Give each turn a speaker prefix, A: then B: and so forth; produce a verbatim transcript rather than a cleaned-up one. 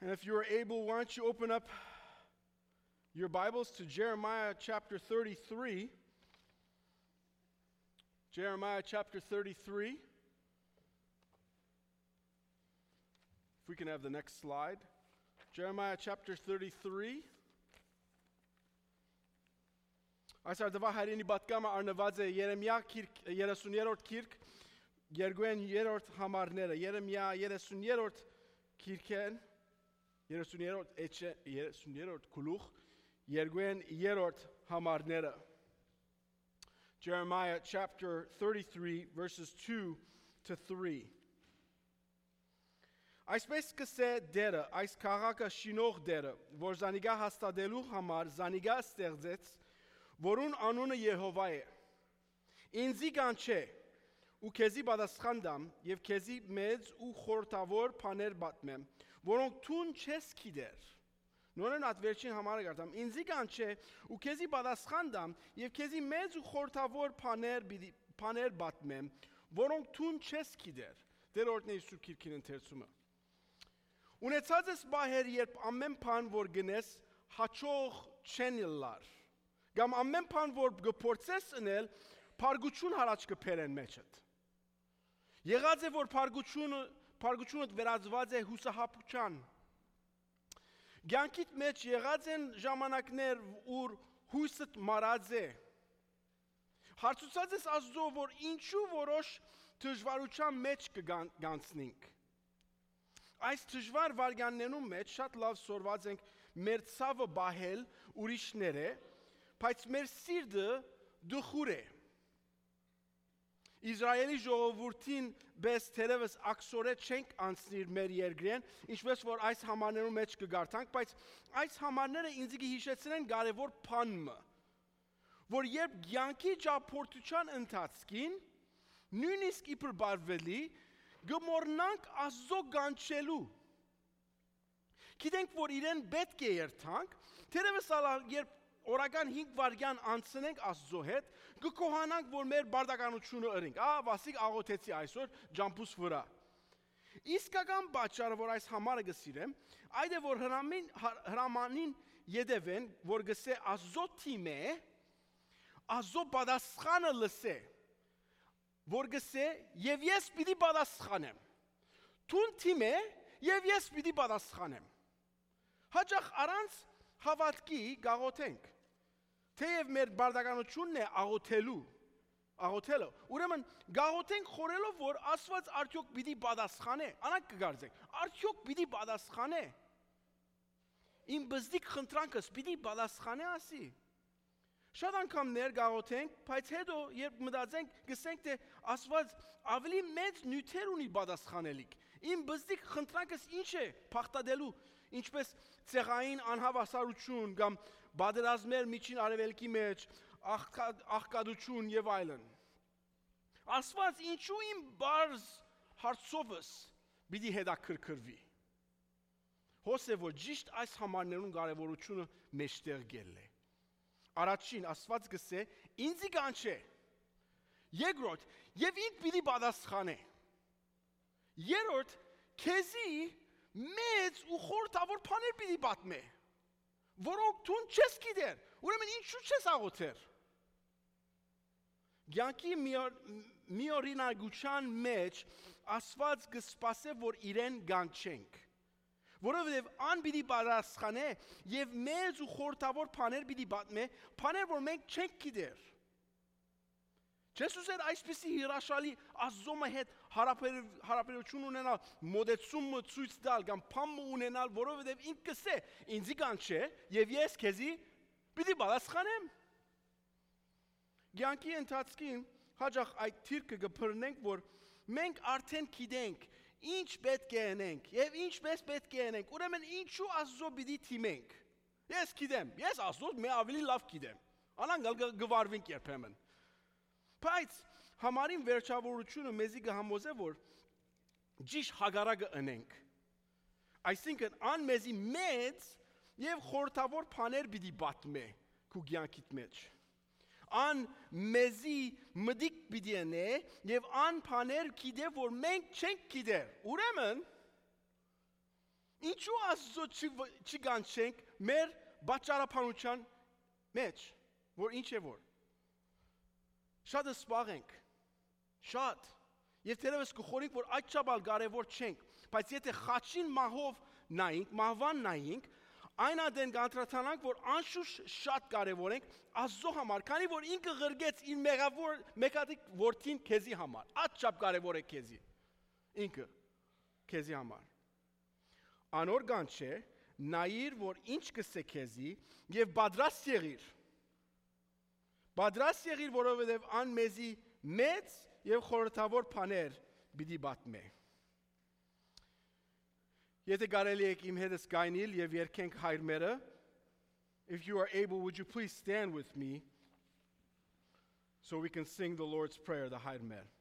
A: And if you're able, why don't you open up your Bibles to Jeremiah chapter thirty-three. Jeremiah chapter thirty-three. If we can have the next slide. Jeremiah chapter thirty-three. Այս արդվա հայրենի պատկամը արնված է Երեմիա երեսուներորդ գիրք երկուեն երրորդ համարները Երեմիա երեսուներորդ գիրքեն երեսուներորդ էջը երեսուներորդ գլուխ երկուեն երրորդ համարները Jeremiah chapter thirty-three verses two to three. Այսպես կսե դերը, այս քաղաքը շինող դերը, որ զանիգա հաստատելու համար զանիգա ստեղծեց, որուն անունը Եհովա է։ Ինձի կանչե, ու քեզի պատասխան դամ, եւ քեզի մեծ ու խորտավոր բաներ պատմեմ, որոնք թուն չես գիտեր։ Նորեն այդ վերջին համարը գարտամ, ինձի կանչե, ու քեզի պատասխան դամ, եւ քեզի մեծ ու խորտավոր բաներ բաներ պատմեմ, որոնք թուն չես գիտեր։ Դերորդն է Սուրբ Գիրքին ընթերցումը։ Ունեցած ես բահեր, երբ ամեն բան, որ գնես, հաճող չեն լար։ Կամ ամեն բան, որ գործես ընել, փարգություն հարաճ կփերեն մեջդ։ Եղած է, որ փարգությունը, փարգությունդ վերածված է հուսահապության։ Կյանքիդ մեջ եղած են ժամանակներ, ուր հույսդ մարած է։ Հարցուցած ես Աստծո, որ ինչու որոշ դժվարության մեջ կգանցնենք։ Այս դժվար վարյաններում մեջ շատ լավ սորված ենք մեր ցավը բահել ուրիշները, բայց մեր սիրտը դխուր է։ Իսրայելի ժողովրդին բես թերևս ակսորե չենք անցնիր մեր երկրեն, ինչպես որ այս համարներում մեջ կգարտանք, բայց այս համարները ինձ կհիշեցնեն կարևոր բանը, որ երբ կյանքի ճապորտության ընթացքին նույնիսկ իբր բարվելի գմորնանք Աստծո կանչելու։ Գիտենք, որ իրեն պետք է երթանք, թերևս երբ օրական հինգ վայրկյան անցնենք Աստծո հետ, կկոհանանք, որ մեր բարդականությունը ըրենք։ Ահա Վասիկ աղոթեցի այսօր ջամփուս վրա։ Իսկական պատճառը, որ այս համարը գսիրեմ, այդ է, որ հրամին հրամանին յետևեն, որ գսե Աստծո թիմը, Աստծո պատասխանը լսե, որ գսե եւ ես պիտի պատասխանեմ։ Տուն թիմը եւ ես պիտի պատասխանեմ։ Հաճախ առանց հավատքի գաղոթենք։ Թեև մեր բարդականությունն է աղոթելու, աղոթելը։ Ուրեմն գաղոթենք խորելով, որ Աստված արդյոք պիտի պատասխանե։ Անակ կգարձենք, արդյոք պիտի պատասխանե։ Իմ բզդիկ խնդրանքս պիտի պատասխանե ասի։ Շատ անգամներ գաղոթենք, բայց հետո երբ մտածենք, գսենք թե Աստված ավելի մեծ նյութեր ունի պատասխանելիք։ Իմ բզդիկ խնդրանքս ինչ է փախտadելու, ինչպես ցեղային անհավասարություն կամ բادرազմեր միջին արևելքի մեջ, աղքատություն եւ այլն։ Աստված ինչու իմ բարձ հարցովս պիտի հետաքրքրվի։ Հոսե որ ճիշտ այս համարներուն կարևորությունը մեջտեղ գել է։ Առաջին Աստված գսե ինձի կանչե։ Երկրորդ եւ ինք պիտի պատասխանե։ Երրորդ քեզի մեծ ու խորտավոր բաներ պիտի պատմե, որոնք դու չես գիտեր։ Ուրեմն ինչու չես աղոթեր։ Գյանքի միօրինակության մեջ Աստված կսպասե, որ իրեն կանչենք։ Որովհետև ան պիտի պատասխանե եւ մեծ ու խորտավոր բաներ պիտի պատմե, բաներ, որ մենք չենք գիտեր։ Չես ուզեր այսպիսի հրաշալի Աստծո հետ հարաբերություն ունենալ, մոդեցումը ցույց տալ կամ փամը ունենալ, որովհետև ինքը կսե, ինձի կանչե եւ ես քեզի պիտի պատասխանեմ։ Գյանքի ընթացքին հաջող այդ թիրքը կփռնենք, որ մենք արդեն գիտենք ինչ պետք է անենք եւ ինչպես պետք է անենք։ Ուրեմն ինչու Աստծո պիտի թիմենք։ Ես գիտեմ, ես Աստծո մե ավելի լավ գիտեմ։ Անանգալ գվարվենք երբեմն։ Բայց համարին վերջավորությունը մեզի կհամոզե, որ ճիշտ հագարակը անենք։ Այսինքն ան մեզի մեծ եւ խորտավոր բաներ պիտի պատմե քու կյանքիդ մեջ։ Ան մեզի մդիկ պիտի անե եւ ան բաներ գիտե, որ մենք չենք գիտեր։ Ուրեմն Ինչու Աստծո չգանչենք մեր բաճարապանության մեջ, որ ինչ է որ։ Շատ սպաղենք, շատ, և թերևս կխորենք, որ այդ չաբալ կարևոր չենք, բայց եթե խաչին մահով նայինք, մահվան նայինք, այն ադեն կանդրադառնանք, որ անշուշտ շատ կարևոր ենք Աստծո համար, քանի որ ինքը ղրգեց իր մեղավոր մեկատիկ որդին քեզի համար, այդչափ կարևոր է քեզի, ինքը քեզի համար։ Անոր կանչե, նայիր, որ ինչ կսե քեզի և պատրաստ եղիր, պատրաստ եղիր, որովհետև ան մեզի մեծ և խորհրդավոր բաներ պիտի պատմե։ Եթե կարելի եք իմ հետս գայնիլ և երգենք հայր մերը, if you are able, would you please stand with me so we can sing the Lord's Prayer, the հայր մեր։